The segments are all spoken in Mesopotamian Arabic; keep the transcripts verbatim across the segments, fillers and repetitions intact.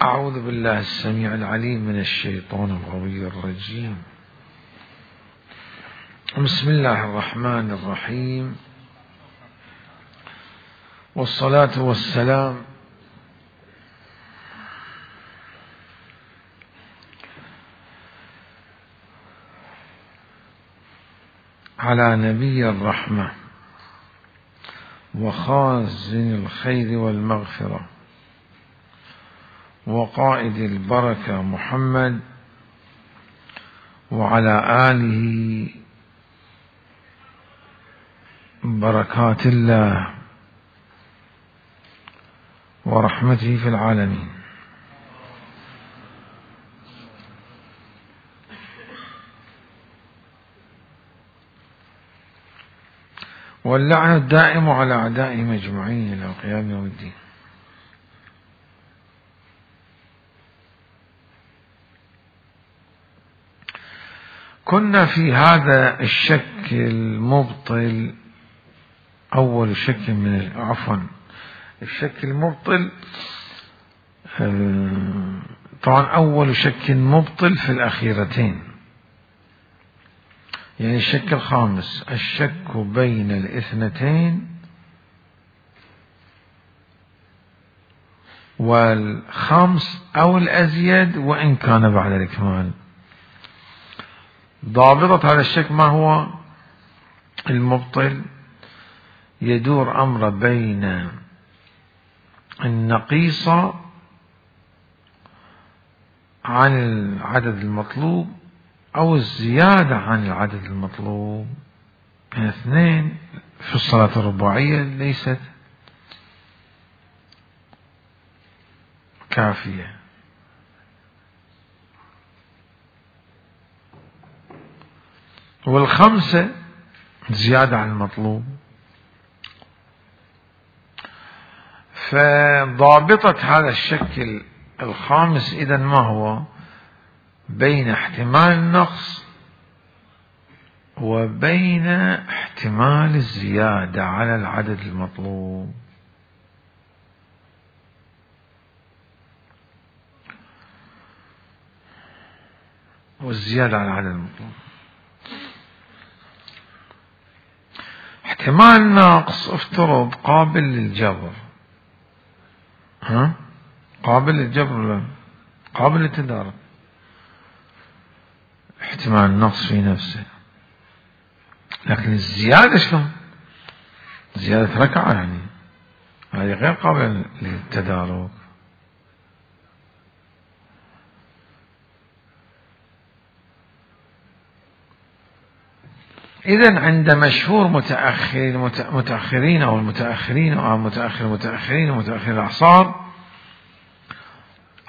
أعوذ بالله السميع العليم من الشيطان الغوي الرجيم. بسم الله الرحمن الرحيم، والصلاة والسلام على نبي الرحمة وخازن الخير والمغفرة وقائد البركة محمد وعلى آله بركات الله ورحمته في العالمين. واللعن الدائم على أعدائهم أجمعين إلى قيام يوم الدين. كنا في هذا الشك المبطل، أول شك من عفوا الشك المبطل، طبعا أول شك مبطل في الأخيرتين، يعني الشك الخامس الشك بين الاثنتين والخمس أو الأزيد وإن كان بعد الإكمال. ضابطة هذا الشك ما هو؟ المبطل يدور أمر بين النقيصة عن العدد المطلوب أو الزيادة عن العدد المطلوب، يعني اثنين في الصلاة الرباعية ليست كافية، والخمسة زيادة عن المطلوب. فضابطة هذا الشكل الخامس إذا ما هو؟ بين احتمال النقص وبين احتمال الزيادة على العدد المطلوب. والزيادة على العدد المطلوب، احتمال النقص افترض قابل للجبر، ها قابل للجبر ولا قابل للتدارك؟ احتمال النقص في نفسه، لكن الزيادة شلون؟ زيادة ركعة يعني هذه غير قابلة للتدارك. إذن عند مشهور متأخرين متأخرين أو المتأخرين أو متأخر المتأخرين ومتأخر الأعصار،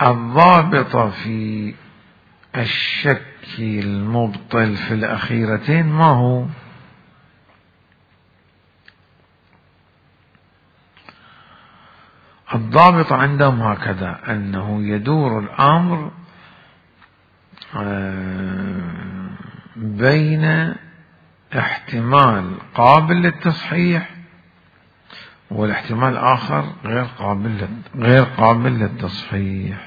الضابطة في الشك المبطل في الأخيرتين ما هو؟ الضابط عندهم هكذا، أنه يدور الأمر بين احتمال قابل للتصحيح والاحتمال الآخر غير قابل غير قابل للتصحيح.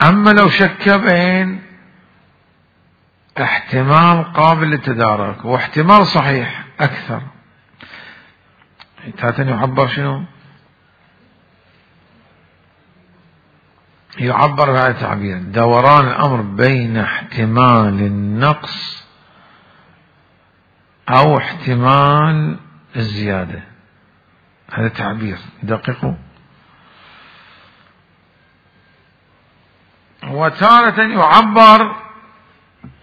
أما لو شك بين احتمال قابل للتدارك واحتمال صحيح أكثر، هذا يعبر شنو؟ يعبر بهذا التعبير: دوران الأمر بين احتمال النقص أو احتمال الزيادة. هذا تعبير دقيق. وتارة يعبر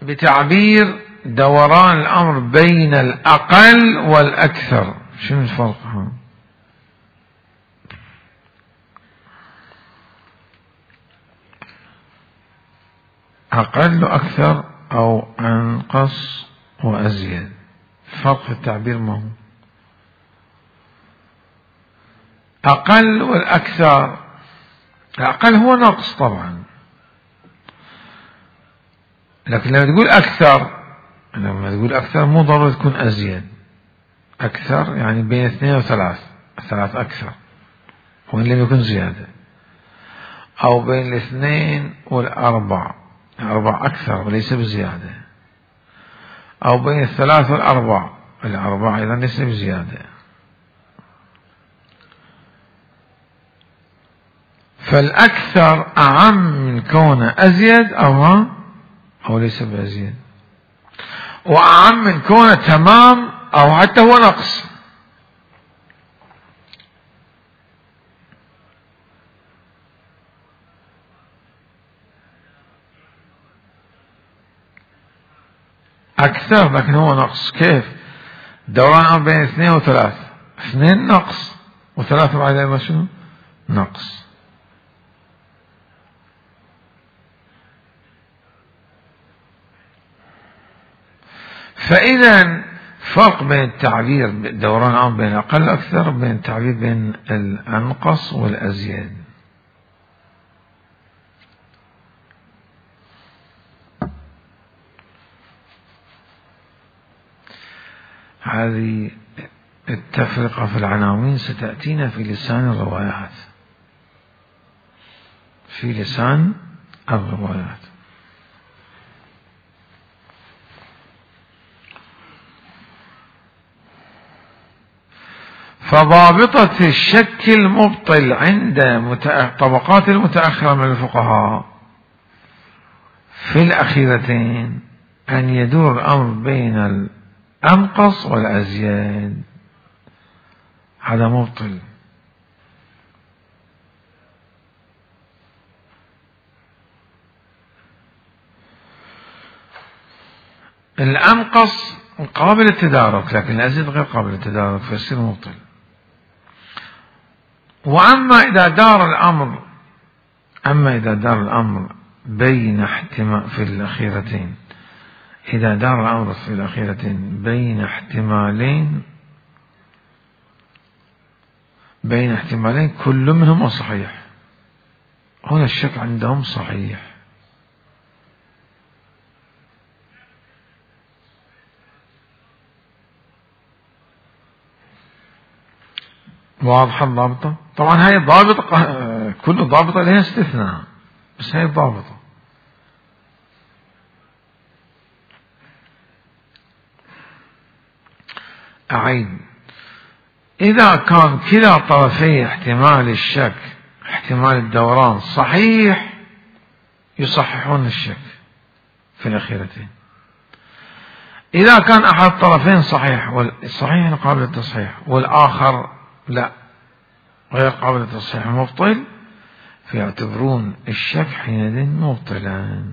بتعبير دوران الأمر بين الأقل والأكثر. شنو الفرق ها؟ أقل وأكثر أو أنقص وأزيد، فرق في التعبير ما هو؟ أقل والأكثر، الأقل هو نقص طبعا، لكن لما تقول أكثر لما تقول أكثر مو ضروري تكون أزيد، أكثر يعني بين اثنين وثلاث، ثلاث أكثر وإن لم يكن زيادة، أو بين الاثنين والأربع، الأربع أكثر وليس بزيادة، أو بين الثلاث والأربع، الأربع أيضا ليس بزيادة. فالأكثر أعم من كونه أزيد أو ما أو ليس بأزيد، وأعم من كونه تمام أو حتى هو نقص. أكثر لكن هو نقص. كيف؟ دوران بين اثنين وثلاث، اثنين نقص وثلاثة بعد ما شنو؟ نقص. فإذا فرق بين التعبير دوران عام بين أقل أكثر، بين التعبير بين الأنقص والأزيد. هذه التفرقة في العناوين ستأتينا في لسان الروايات، في لسان الروايات. فضابطة الشك المبطل عند طبقات المتأخرة من الفقهاء في الأخيرتين أن يدور الأمر بين الأنقص والأزيد، هذا مبطل. الأنقص قابل للتدارك لكن الأزيد غير قابل للتدارك فيصير مبطل. وأما إذا دار الأمر أما إذا دار الأمر بين احتمال في الأخيرتين إذا دار الأمر في الأخيرتين بين احتمالين بين احتمالين كل منهم صحيح، هنا الشك عندهم صحيح. واضحة الضابطة؟ طبعا هاي الضابطة كل ضابطة لها استثناء، بس هاي الضابطة. أعيد: إذا كان كلا طرفي احتمال الشك احتمال الدوران صحيح يصححون الشك في الأخيرتين. إذا كان أحد الطرفين صحيح والصحيح قابل للتصحيح والآخر لا غير قابل للتصحيح مبطل، فيعتبرون الشك حينئذ مبطلا.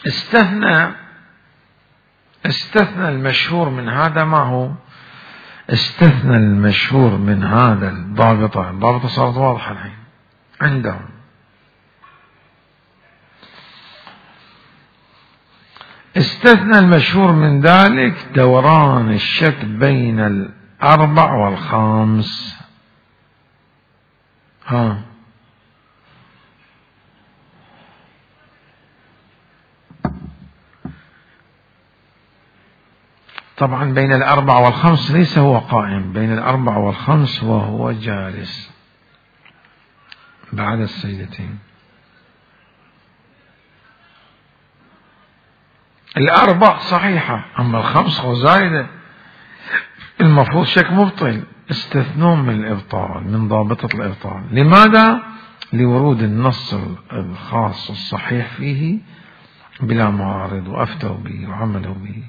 استثنى استثنى المشهور من هذا ما هو؟ استثنى المشهور من هذا الضابطة، الضابطة صارت واضحة الحين عندهم. استثنى المشهور من ذلك دوران الشك بين الأربع والخامس. ها طبعا بين الأربع والخمس ليس هو قائم، بين الأربع والخمس وهو جالس بعد السجدتين. الأربع صحيحة أما الخمس هو زائدة، المفروض شك مبطل، استثنون من الإبطال من ضابطة الإبطال. لماذا؟ لورود النص الخاص الصحيح فيه بلا معارض وأفتوا به وعملوا به.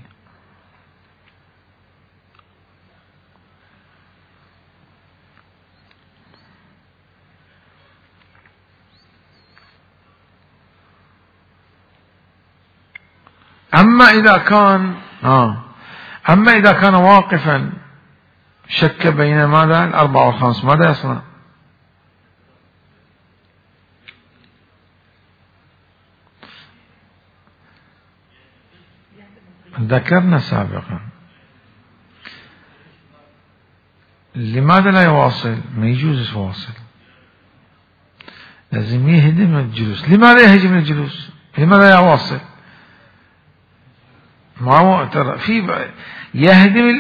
أما إذا كان آه أما إذا كان واقفا شك بين ماذا؟ الأربع والخمس، ماذا يصنع؟ ذكرنا سابقا لماذا لا يواصل؟ ما يجوز يواصل، لازم يهدم الجلوس. لماذا يهدم الجلوس؟ لماذا يواصل؟ ما هو ترى في يهدم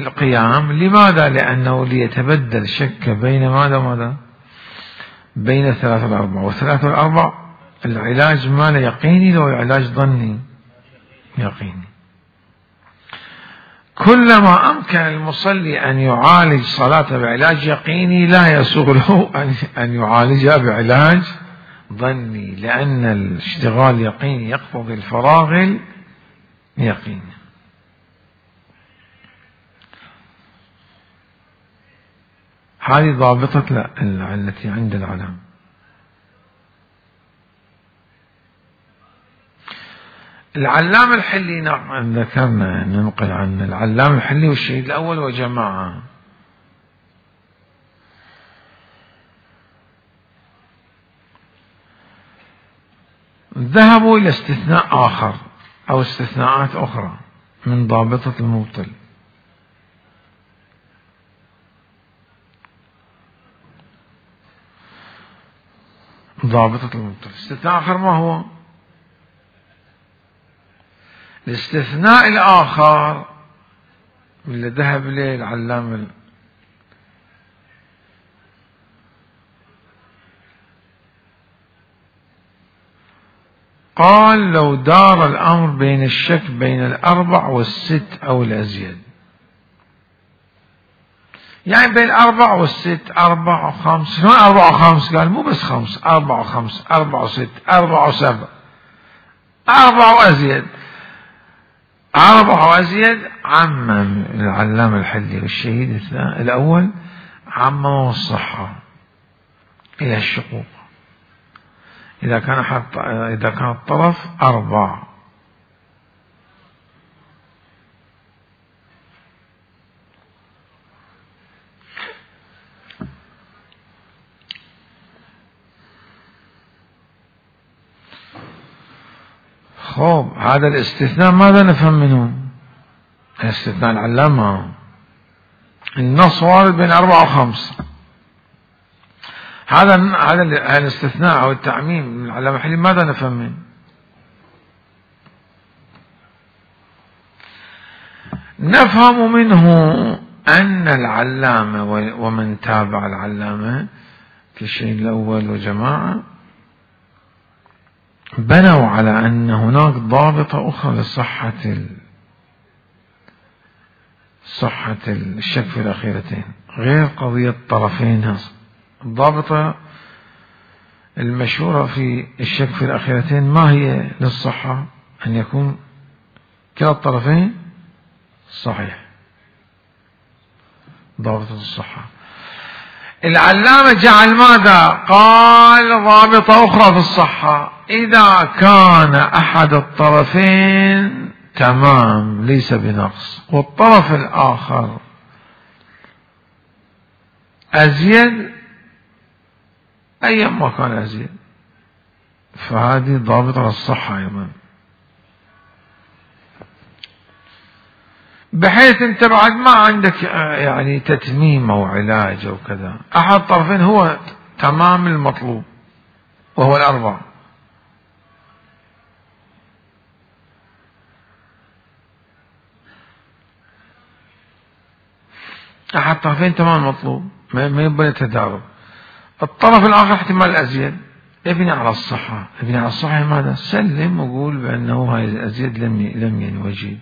القيام. لماذا؟ لأنه ليتبدل شك بين ماذا ماذا بين الثلاث والأربع، والثلاث والأربع العلاج ماله يقيني لو علاج ظني يقيني. كلما أمكن المصلي أن يعالج صلاته بعلاج يقيني لا يسوغ له أن يعالجها بعلاج ظني، لأن الاشتغال يقيني يقتضي الفراغ اليقيني. هذه ضابطة التي عند العلم. العلام الحلي نعم ذكرنا ننقل عن العلام الحلي والشهيد الأول وجماعة. ذهبوا إلى استثناء آخر أو استثناءات أخرى من ضابطة المبطل. ضابطة المبطل استثناء آخر ما هو؟ الاستثناء الآخر اللي ذهب إليه العلام قال لو دار الأمر بين الشك بين الأربع والست أو الأزيد، يعني بين أربع والست، أربع وخمس، شلون أربع وخمس؟ قال مو بس خمس، أربع وخمس، أربع وست، أربع وسبع، أربع وأزيد، أربع وأزيد. عمم العلام الحلي والشهيد الأول عمم الصحة إلى الشقوق إذا كان حتى إذا كان الطرف أربع. خوب هذا الاستثناء ماذا نفهم منه؟ استثناء العلامة النص وارد بين أربعة وخمس. هذا هذا الاستثناء أو التعميم من العلامة الحلي ماذا نفهم منه؟ نفهم منه أن العلامة ومن تابع العلامة في الشيء الأول وجماعة بنوا على أن هناك ضابطة أخرى لصحة صحة الشك في الأخيرتين غير قضية طرفين. الضابطة المشهورة في الشك في الأخيرتين ما هي للصحة؟ أن يكون كلا الطرفين صحيح، ضابطة الصحة. العلامة جعل ماذا؟ قال ضابطة أخرى في الصحة إذا كان أحد الطرفين تمام ليس بنقص والطرف الآخر أزيد أيما كان أزيد، فهذه ضابطة للصحة أيضا، بحيث أنت بعد ما عندك يعني تتميم أو علاج أو كذا، أحد الطرفين هو تمام المطلوب وهو الأربع، أحد الطرفين تمام المطلوب ما يبني تدارب، الطرف الآخر احتمال الأزيد، ابني على الصحة. ابني على الصحة ماذا؟ سلم وقول بأنه هاي الأزيد لم لم ينوجد.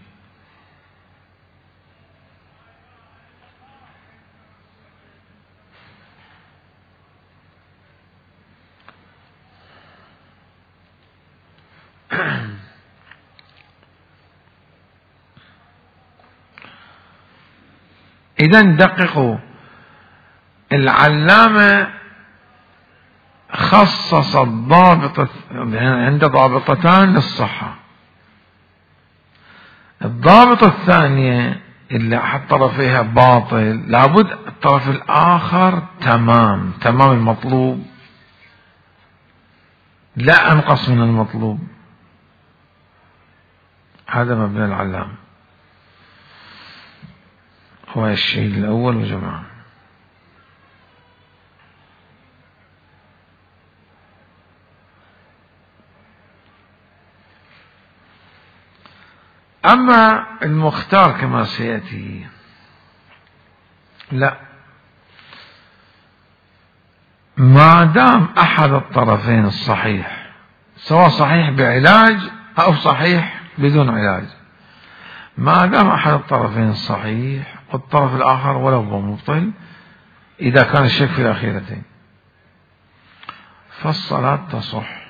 إذا دققوا، العلامة خصص الضابطة عند ضابطتان للصحة. الضابطة الثانية اللي أحد طرفيها باطل لابد الطرف الآخر تمام تمام المطلوب لا أنقص من المطلوب. هذا مبنى العلامة هو الشيء الأول وجماعة. أما المختار كما سيأتي لا، ما دام أحد الطرفين الصحيح، سواء صحيح بعلاج أو صحيح بدون علاج، ما دام أحد الطرفين الصحيح والطرف الآخر ولو هو مبطل، إذا كان الشك في الأخيرتين فالصلاة تصح.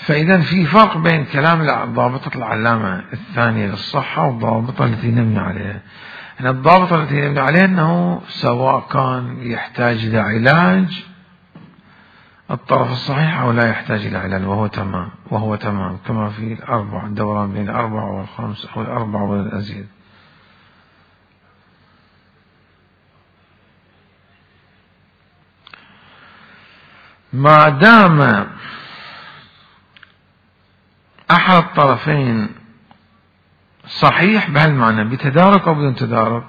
فإذا في فرق بين كلام ضابطة العلامة الثانية للصحة والضابطة التي نبني عليها. هنا الضابطة التي نبني عليها أنه سواء كان يحتاج إلى علاج الطرف الصحيح أو لا يحتاج إلى علاج، وهو تمام وهو تمام كما في الأربع، الدوران بين الأربع والخمس أو الأربع والأزيد. ما دام أحد الطرفين صحيح بهالمعنى بتدارك أو بدون تدارك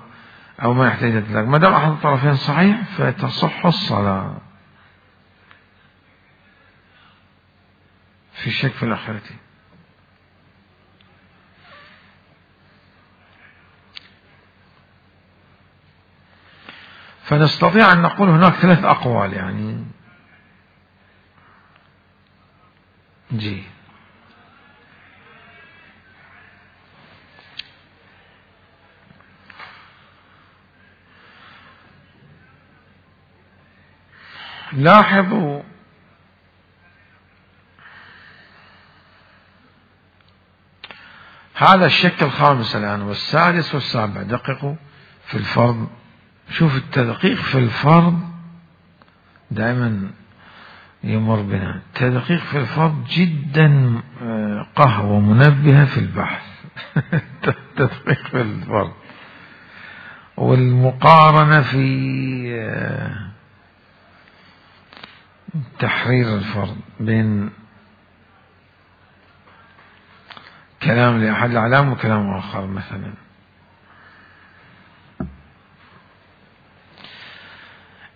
أو ما يحتاج إلى تدارك، ما دام أحد الطرفين صحيح فتصح الصلاة في الشك في الآخرتين. فنستطيع أن نقول هناك ثلاث أقوال يعني جي. لاحظوا هذا الشك الخامس الآن والسادس والسابع، دققوا في الفرض. شوف التدقيق في الفرض دائما يمر بنا، التدقيق في الفرض جدا قهوة منبهة في البحث. التدقيق في الفرض والمقارنة في تحرير الفرض بين كلام لأحد الأعلام وكلام آخر. مثلا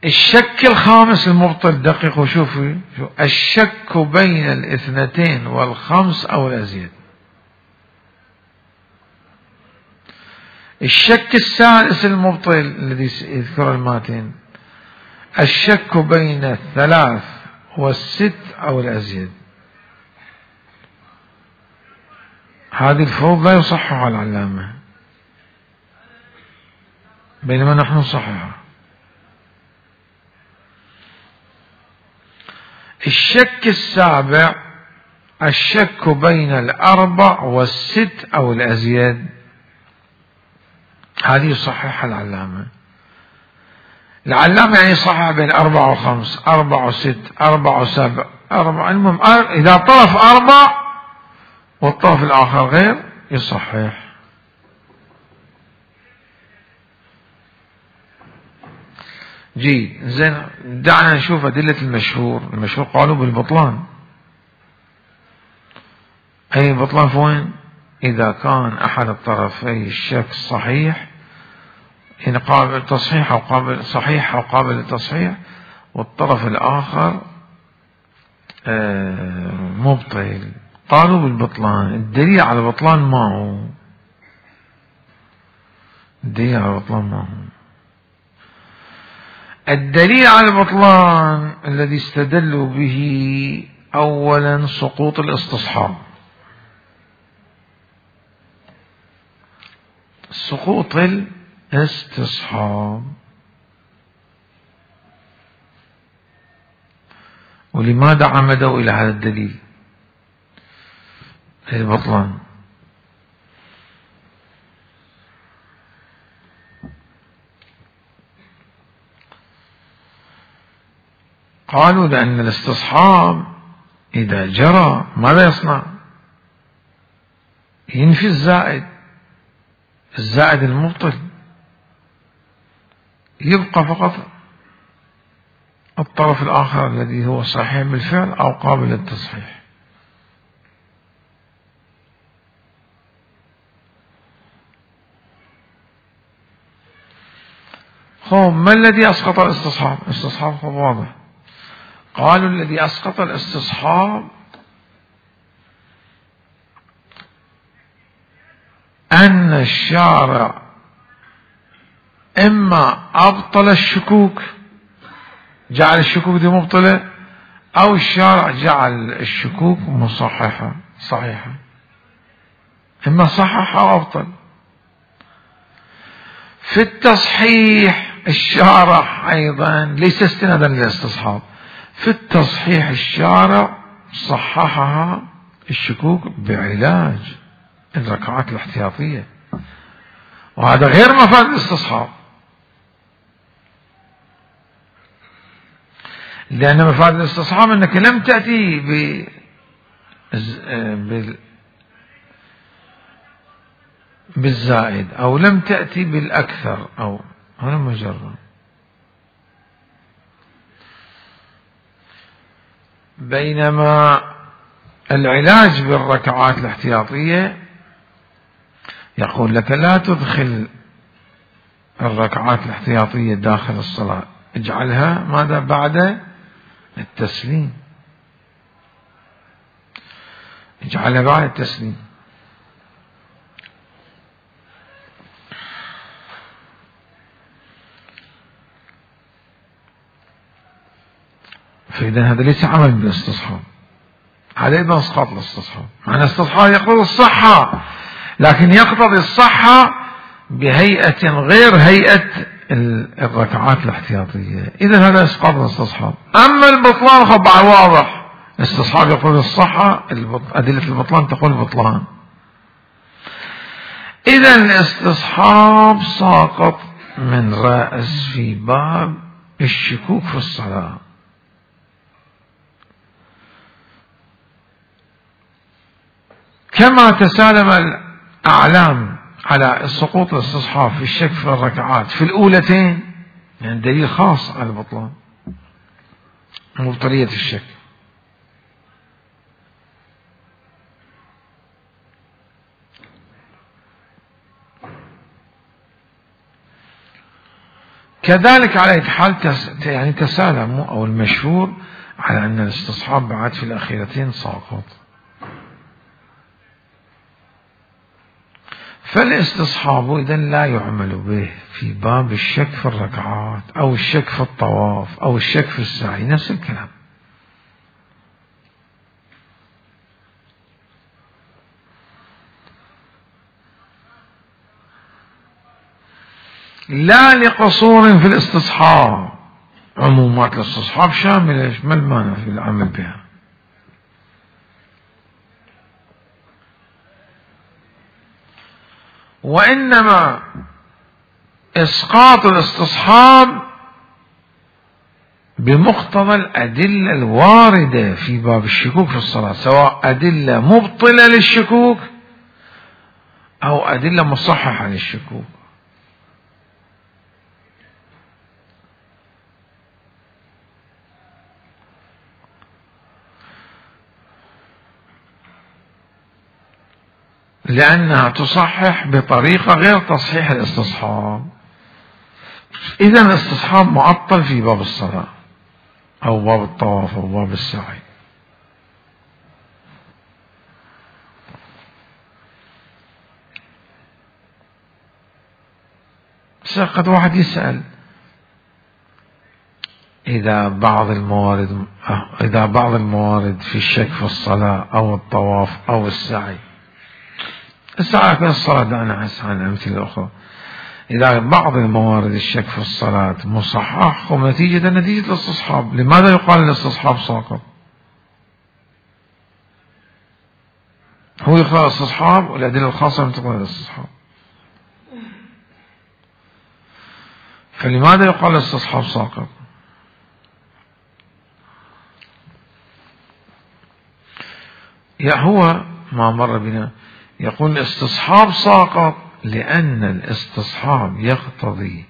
الشك الخامس المبطل، دققوا شوفوا شو الشك بين الاثنتين والخمس أو الأزيد. الشك السادس المبطل الذي يذكر الماتين الشك بين الثلاث والست أو الأزيد. هذه الفروض لا يصحها العلامة بينما نحن نصححها. الشك السابع الشك بين الأربع والست أو الأزيد، هذه يصححها العلامة. العلامة يعني يصحح بين أربع وخمس، أربع وست، أربع وسبع، أربع، المهم إذا طرف أربع والطرف الآخر غير يصحح. جيد زين، دعنا نشوف أدلة المشهور. المشهور قالوا بالبطلان. أي بطلان فوين؟ إذا كان أحد الطرفي الشك صحيح، يعني قابل للتصحيح أو قابل صحيح أو قابل للتصحيح، والطرف الآخر مبطل، قالوا بالبطلان. الدليل على البطلان ما هو؟ الدليل على البطلان ما هو؟ الدليل على البطلان الذي استدلوا به أولا سقوط الاستصحاب. سقوط الاستصحاب. ولماذا عمدوا إلى هذا الدليل البطلان؟ قالوا لأن الاستصحاب إذا جرى ماذا يصنع؟ ينفي الزائد، الزائد المبطل، يبقى فقط الطرف الآخر الذي هو صحيح بالفعل أو قابل للتصحيح. خب ما الذي أسقط الاستصحاب؟ الاستصحاب خب واضح. قالوا الذي أسقط الاستصحاب أن الشارع إما أبطل الشكوك، جعل الشكوك دي مبطلة، أو الشارع جعل الشكوك مصححة صحيحة، إما صحح أو أبطل. في التصحيح الشارع أيضا ليس استنادا للاستصحاب، في التصحيح الشارع صححها الشكوك بعلاج الركعات الاحتياطية، وهذا غير مفاد الاستصحاب، لأن مفاد الاستصحاب أنك لم تأتي ب بالزائد أو لم تأتي بالأكثر، أو هنا مجرد. بينما العلاج بالركعات الاحتياطية يقول لك لا تدخل الركعات الاحتياطية داخل الصلاة، اجعلها ماذا بعد التسليم، اجعلها بعد التسليم. فإذا هذا ليس عمل بالاستصحاب، هذا أيضا اسقاط الاستصحاب. معنى الاستصحاب يقتضي الصحة، لكن يقتضي الصحة بهيئة غير هيئة الركعات الاحتياطية، إذا هذا اسقاط الاستصحاب. أما البطلان خبع واضح، الاستصحاب يقول الصحة، أدلة البطلان تقول البطلان. إذا الاستصحاب ساقط من رأس في باب الشكوك في الصلاة. كما تسالم الأعلام على سقوط الاستصحاب في الشك في الركعات في الأولتين، يعني دليل خاص على البطلان مبطلية الشك. كذلك على أي حال يعني تسالموا أو المشهور على أن الاستصحاب بعد في الأخيرتين ساقط. فالاستصحاب إذن لا يعمل به في باب الشك في الركعات أو الشك في الطواف أو الشك في السعي، نفس الكلام. لا لقصور في الاستصحاب، عمومات الاستصحاب شاملة، ما المانع في العمل بها. وإنما إسقاط الاستصحاب بمقتضى الأدلة الواردة في باب الشكوك في الصلاة، سواء أدلة مبطلة للشكوك أو أدلة مصححة للشكوك. لأنها تصحح بطريقة غير تصحيح الاستصحاب. إذن الاستصحاب معطل في باب الصلاة أو باب الطواف أو باب السعي. قد واحد يسأل إذا بعض الموارد إذا بعض الموارد في الشك في الصلاة أو الطواف أو السعي، السعي في الصلاة دعنا عن أمثلة أخرى، إذا بعض الموارد الشك في الصلاة مصحح ونتيجة نتيجة الاستصحاب، لماذا يقال الاستصحاب ساقط؟ هو يقال الاستصحاب والأدلة الخاصة من تقول الاستصحاب، فلماذا يقال الاستصحاب ساقط؟ يا هو ما مر بنا يقول الاستصحاب ساقط لأن الاستصحاب يقتضي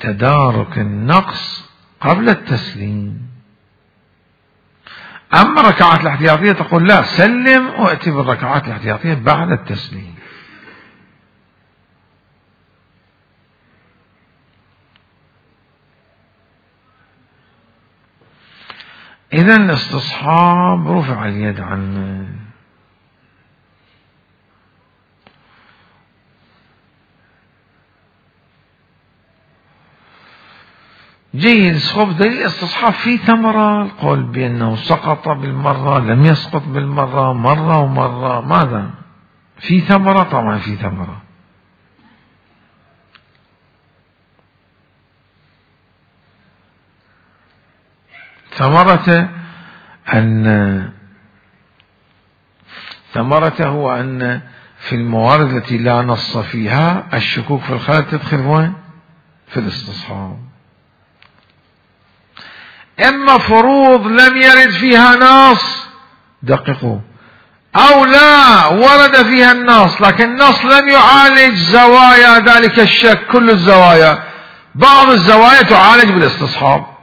تدارك النقص قبل التسليم. أما الركعات الاحتياطية تقول لا، سلم وأتي بالركعات الاحتياطية بعد التسليم. إذا الاستصحاب رفع اليد عنه. جيد. صوب دليل الاستصحاب في ثمرة، القول بأنه سقط بالمرة، لم يسقط بالمرة، مرة ومرة، ماذا؟ في ثمرة؟ طبعا في ثمرة. ثمرته أن ثمرته هو أن في الموارد التي لا نص فيها الشكوك في الخلل تدخل وين؟ في الاستصحاب. إما فروض لم يرد فيها نص، دققوا، أو لا ورد فيها النص لكن النص لم يعالج زوايا ذلك الشك، كل الزوايا، بعض الزوايا تعالج بالاستصحاب.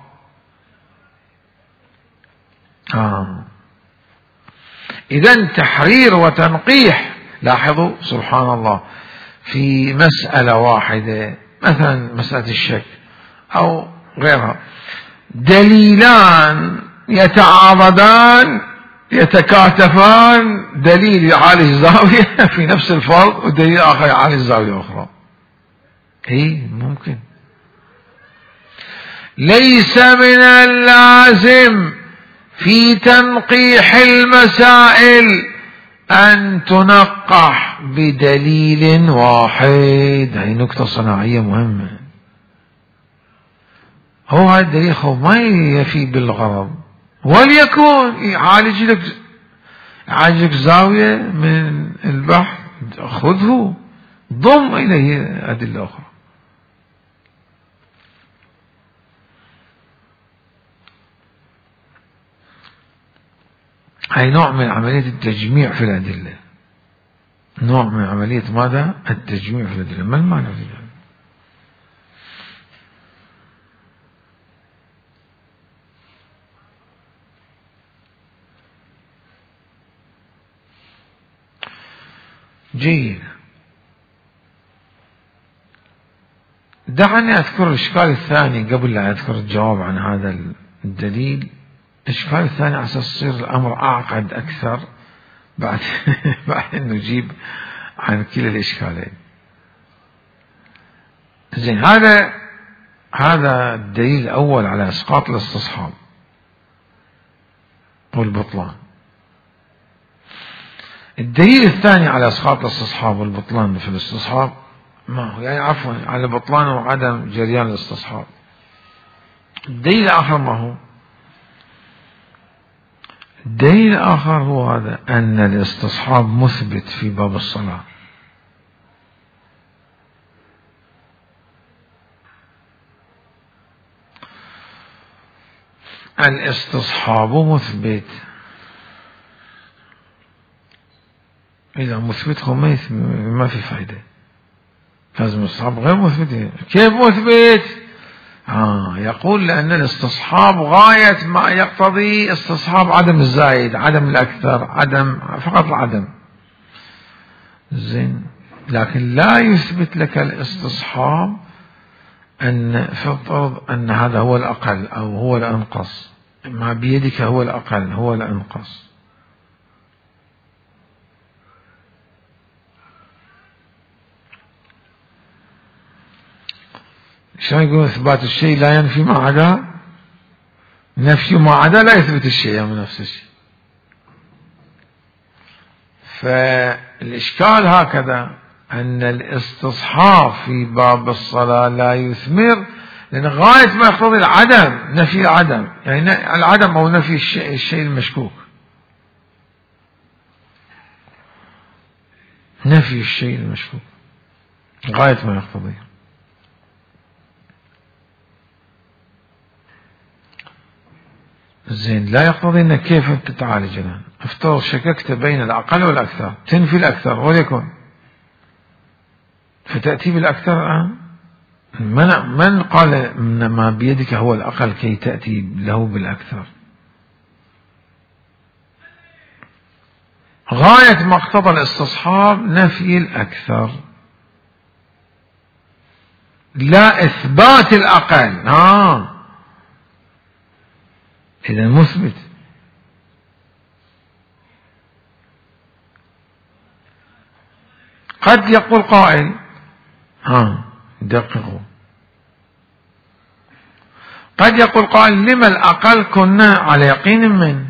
آه. إذن تحرير وتنقيح. لاحظوا سبحان الله، في مسألة واحدة مثلا مسألة الشك أو غيرها، دليلان يتعاضدان يتكاتفان، دليل يعالج زاوية في نفس الفرض ودليل آخر يعالج زاوية أخرى. إيه ممكن. ليس من اللازم في تنقيح المسائل أن تنقح بدليل واحد. هذه نقطة صناعية مهمة. هو هذا الدليل هو ما يفي بالغرض، وليكن يعالج لك يعالج لك زاوية من البحث، خذه ضم إليه أدلة أخرى. هاي نوع من عملية التجميع في الأدلة، نوع من عملية ماذا؟ التجميع في الأدلة. ما المعنى في ذلك؟ جيد. دعني أذكر الإشكال الثاني قبل لا أذكر الجواب عن هذا الدليل. الإشكال الثاني على أساس يصير الأمر أعقد أكثر بعد بعد أن نجيب عن كلا الإشكالين. زين، هذا هذا الدليل الأول على إسقاط الاستصحاب والبطلان. الدليل الثاني على إسقاط الاستصحاب والبطلان في الاستصحاب ما هو؟ يعني عفوا على بطلان وعدم جريان الاستصحاب. الدليل الآخر ما هو؟ الدليل الآخر هو هذا، أن الاستصحاب مثبت في باب الصلاة. الاستصحاب مثبت. إذا مثبت هو ما في فائدة، لازم الاستصحاب غير مثبت. كيف مثبت؟ آه يقول لأن الاستصحاب غاية ما يقتضي استصحاب عدم الزايد، عدم الأكثر، عدم فقط العدم. زين، لكن لا يثبت لك الاستصحاب أن فرض أن هذا هو الأقل أو هو الأنقص، ما بيدك هو الأقل هو الأنقص. شلون يقول إثبات الشيء لا ينفي ما عدا، نفي ما عدا لا يثبت الشيء من نفس الشيء. فالإشكال هكذا أن الاستصحاب في باب الصلاة لا يثمر، لأن غاية ما يقتضي العدم، نفي العدم، يعني العدم أو نفي الشيء, الشيء المشكوك، نفي الشيء المشكوك غاية ما يقتضي. زين، لا يقتضي انك كيف تتعالج الان. افترض شككت بين الاقل والاكثر، تنفي الاكثر وليكن، فتاتي بالاكثر الان. من من قال ان ما بيدك هو الاقل كي تاتي له بالاكثر؟ غايه ما اقتضى الاستصحاب نفي الاكثر، لا اثبات الاقل. اه إذا مثبت. قد يقول قائل ها دققوا، قد يقول قائل لما الأقل كنا على يقين من،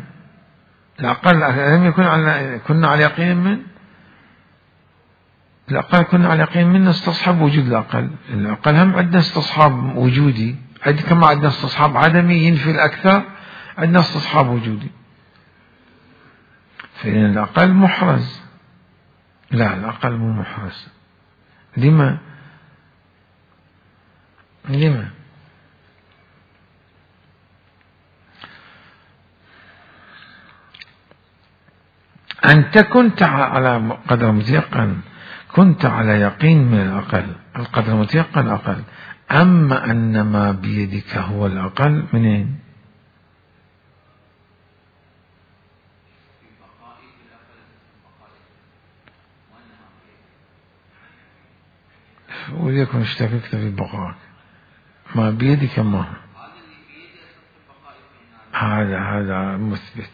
الأقل لم يكن على كنا على يقين من، الأقل كنا على يقين من نستصحب وجود الأقل، الأقل هم عندنا استصحاب وجودي، عند كما عندنا استصحاب عدمي ينفي الأكثر، عندنا استصحاب وجودي، فإن الأقل محرز. لا الأقل مو محرز. لما؟ لما؟ أنت كنت على قدر متيقن، كنت على يقين من الأقل، القدر متيقن أقل، أما أن ما بيدك هو الأقل منين؟ وليكن اشتككت في بقائك، ما بيدك ما هذا هذا مثبت.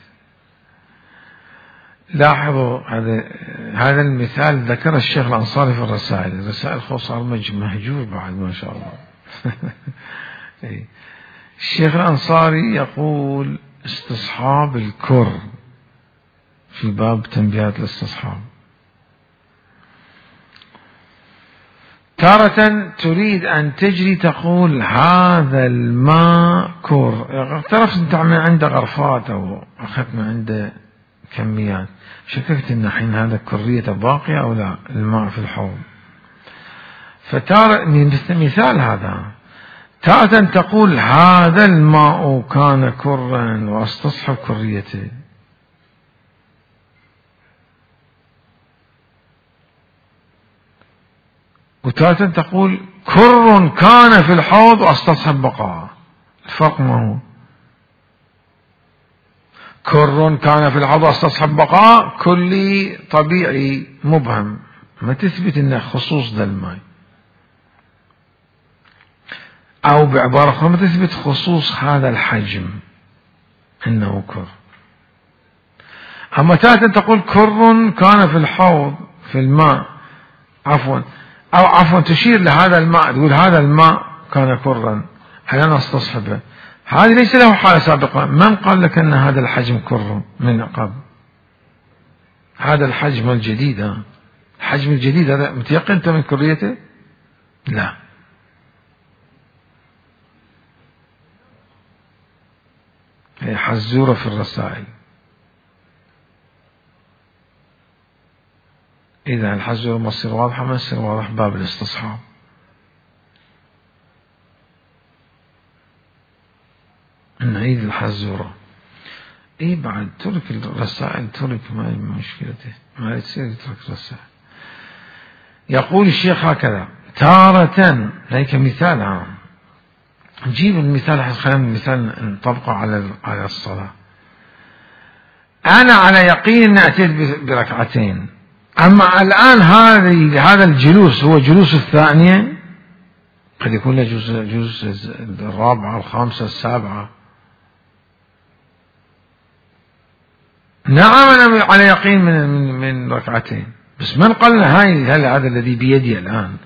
لاحظوا هذا هذا المثال ذكر الشيخ الأنصاري في الرسائل، الرسائل صار مهجور بعد ما شاء الله. الشيخ الأنصاري يقول استصحاب الكر في باب تنبيهات الاستصحاب، تارة تريد أن تجري تقول هذا الماء كر، اعترفت أنت من عنده غرفات أو أخذت من عنده كميات، شككت أن حين هذا كرية باقية أو لا الماء في الحوض، فتارة مثال هذا، تارة تقول هذا الماء كان كرا واستصحب كريته، وتارة تقول كر كان في الحوض واستصحب بقاء. الفرق ما هو؟ كر كان في الحوض واستصحب بقاء كلي طبيعي مبهم، ما تثبت انه خصوص ذا الماء، او بعبارة اخرى ما تثبت خصوص هذا الحجم انه كر. اما تارة تقول كر كان في الحوض في الماء عفوا أو عفوا تشير لهذا الماء، تقول هذا الماء كان كرا أنا استصحبه، هذا ليس له حالة سابقة. من قال لك أن هذا الحجم كر من قبل؟ هذا الحجم الجديد، الحجم الجديد هذا متيقن أنت من كريته؟ لا. هي حزورة في الرسائل. إذا الحزورة ما تصير واضحة ما تصير واضح باب الاستصحاب. نعيد الحزورة. إيه بعد ترك الرسائل، ترك ما مشكلته، ما يصير يترك الرسائل. يقول الشيخ هكذا تارة، هيك مثال عام، نجيب المثال، خلينا المثال نطبقه على على الصلاة. أنا على يقين أن أتيت بركعتين، أما الآن هذه هذا الجلوس هو جلوس الثانية، قد يكون له جلوس جلوس الرابعة الخامسة السابعة. نعم أنا على يقين من من من ركعتين، بس من قال هاي هل هذا الذي بيدي الآن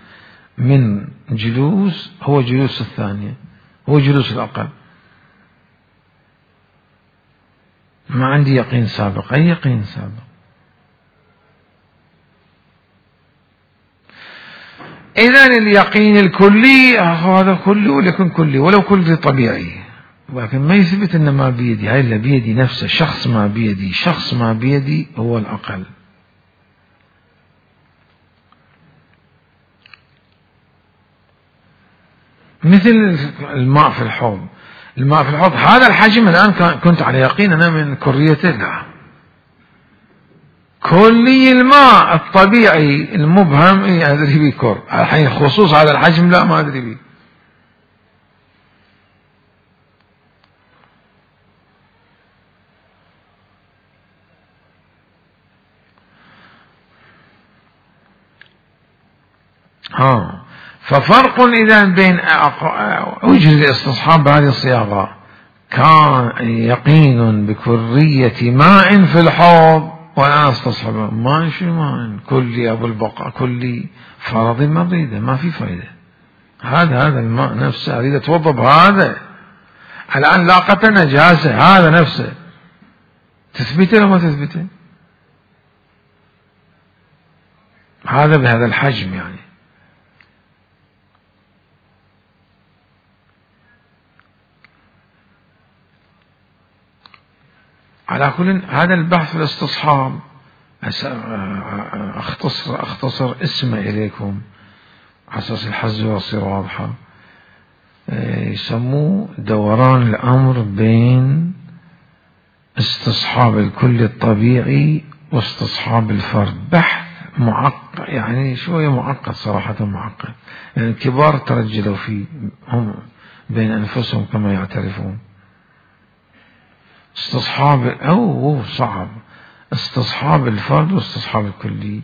من جلوس هو جلوس الثانية، هو جلوس الأقل، ما عندي يقين سابق. أي يقين سابق؟ إذن اليقين الكلي هذا كلي وليكن كلي ولو كلي طبيعي، ولكن ما يثبت أن ما بيدي، هاي اللي بيدي نفسه، شخص ما بيدي، شخص ما بيدي هو الأقل. مثل الماء في الحوض، الماء في الحوض هذا الحجم الآن كنت على يقين أنا من كريته، لا، كلي الماء الطبيعي المبهم إيه أدري بيه كر، الحين خصوص هذا الحجم لا ما أدري بيه. ها ففرق إذا بين وجه الاستصحاب بهذه الصياغة، كان يقين بكرية ماء في الحوض وأنا أستصحبه. ماء شو ماء؟ كلي أبو البقاء كلي فرضي ما أريده، ما في فائدة. هذا هذا الماء نفسه أريد أتوضأ بهذا. الآن لاقته نجاسة، هذا نفسه تثبته لو ما تثبته؟ هذا بهذا الحجم يعني. على كل هذا البحث في الاستصحاب أختصر, أختصر اسمه إليكم على أساس الحزة تصير واضحة. يسموه دوران الأمر بين استصحاب الكل الطبيعي واستصحاب الفرد. بحث معقد يعني شوية معقد صراحة، معقد يعني الكبار ترجلوا فيه هم بين أنفسهم كما يعترفون. استصحاب أو صعب استصحاب الفرد واستصحاب الكلي.